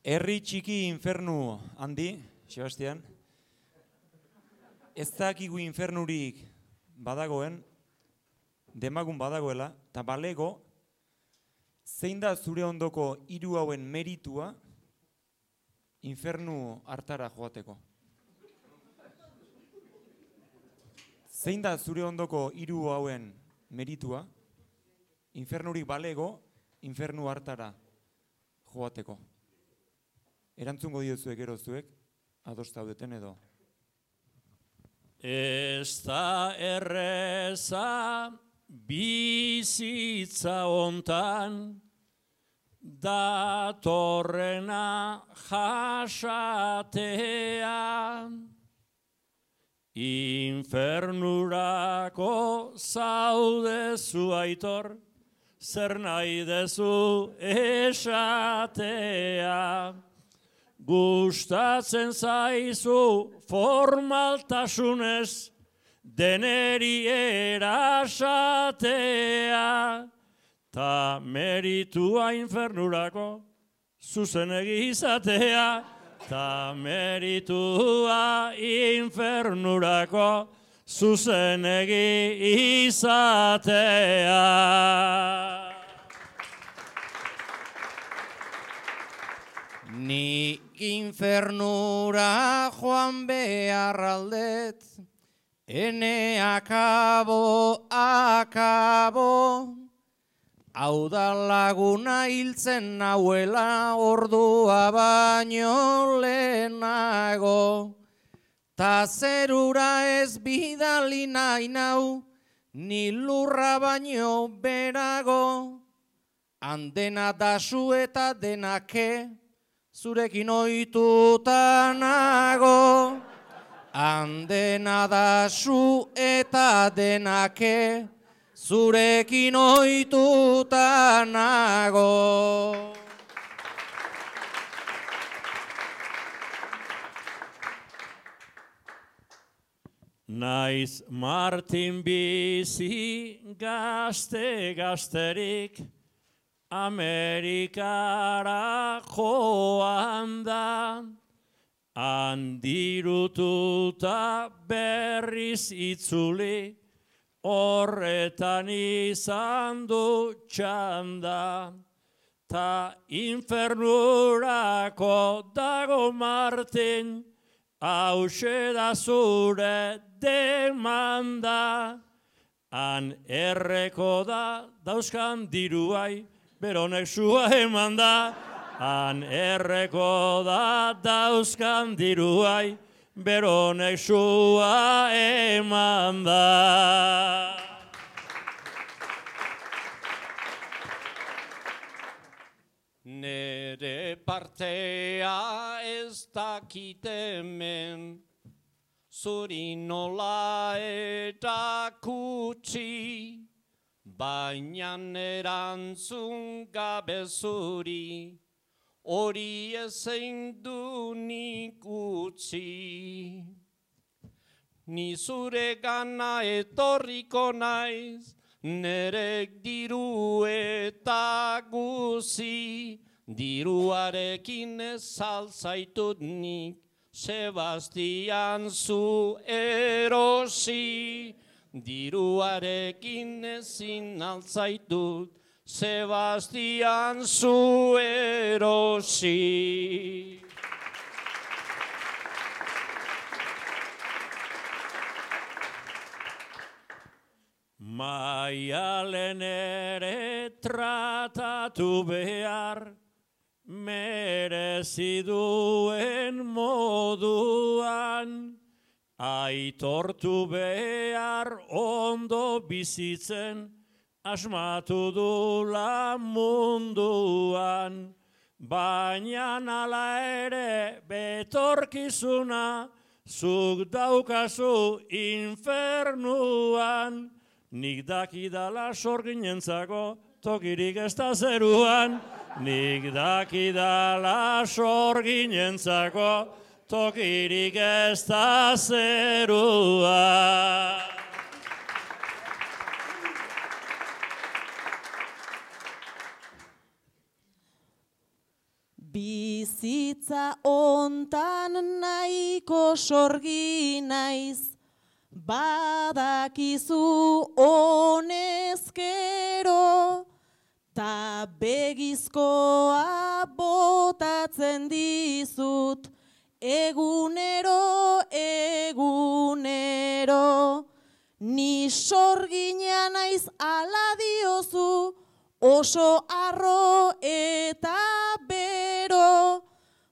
Herri txiki infernu handi, Sebastian. Ez dakigu infernurik badagoen, demagun badagoela, eta balego, zein da zure ondoko hiru hauen meritua infernu hartara joateko? Zein da zure ondoko hiru hauen meritua infernurik balego infernu hartara joateko? Erantzungo diozuek gero zuek, ados zaudeten edo. Ez da erreza bizitza hontan, datorrena jasatea. Infernurako zaudezu aitor, zer nahi dezu esatea. Gustatzen zaizu formaltasunez, deneri erasatea. Ta meritua infernurako zuzenegi izatea. Ta meritua infernurako zuzenegi izatea. Ni infernura joan behar aldet, ene akabo, hau da laguna hiltzen nauela ordua baino lehenago. Ta zerura ez bidali nahi nau, ni lurra baino berago. Handena dasu eta denake, zurekin ohituta nago. Handena dasu eta denake, zurekin ohituta nago. Naiz Martin bizi gazterik, Amerikara joan da, handirututa berriz itzuli, horretan izan du txanda. Ta infernurako dago Martin, hauxe da zure demanda. Han erreko da dauzkan diruai, beronek sua eman da. Han erreko da dauzkan diruai, beronek sua eman da. Nere partea ez dakit hemen, zuri nola eta kutsi, baina erantzun gabe zuri, hori ezein du nik utzi. Ni zure gana etorriko naiz, nerek diru eta guzi, diruarekin ez alzaitut nik, Sebastian zu erosi. Diruarekin ezin alzaitut, Sebastian zu erosi. Maialen ere tratatu behar, merezi duen moduan, aitortu behar ondo bizitzen, asmatu dula munduan. Baina ala ere betorkizuna, zuk daukazu infernuan. Nik dakidala sorginentzako tokirik ez da zeruan. Nik dakidala sorginentzako tokirik ez da zeruan. Bizitza ontan nahiko sorgi naiz, badakizu honezkero, ta begizkoa botatzen dizut, egunero, egunero. Ni sorgina naiz ala diozu, oso arro eta bero.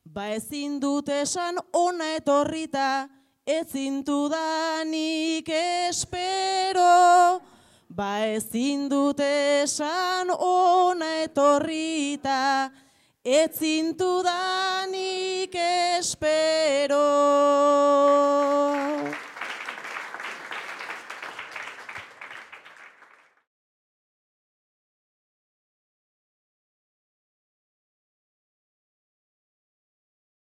Ba ezin dut esan ona etorrita, ezin dudanik espero. Ba ezin dut esan ona etorrita, ezin dudanik espero.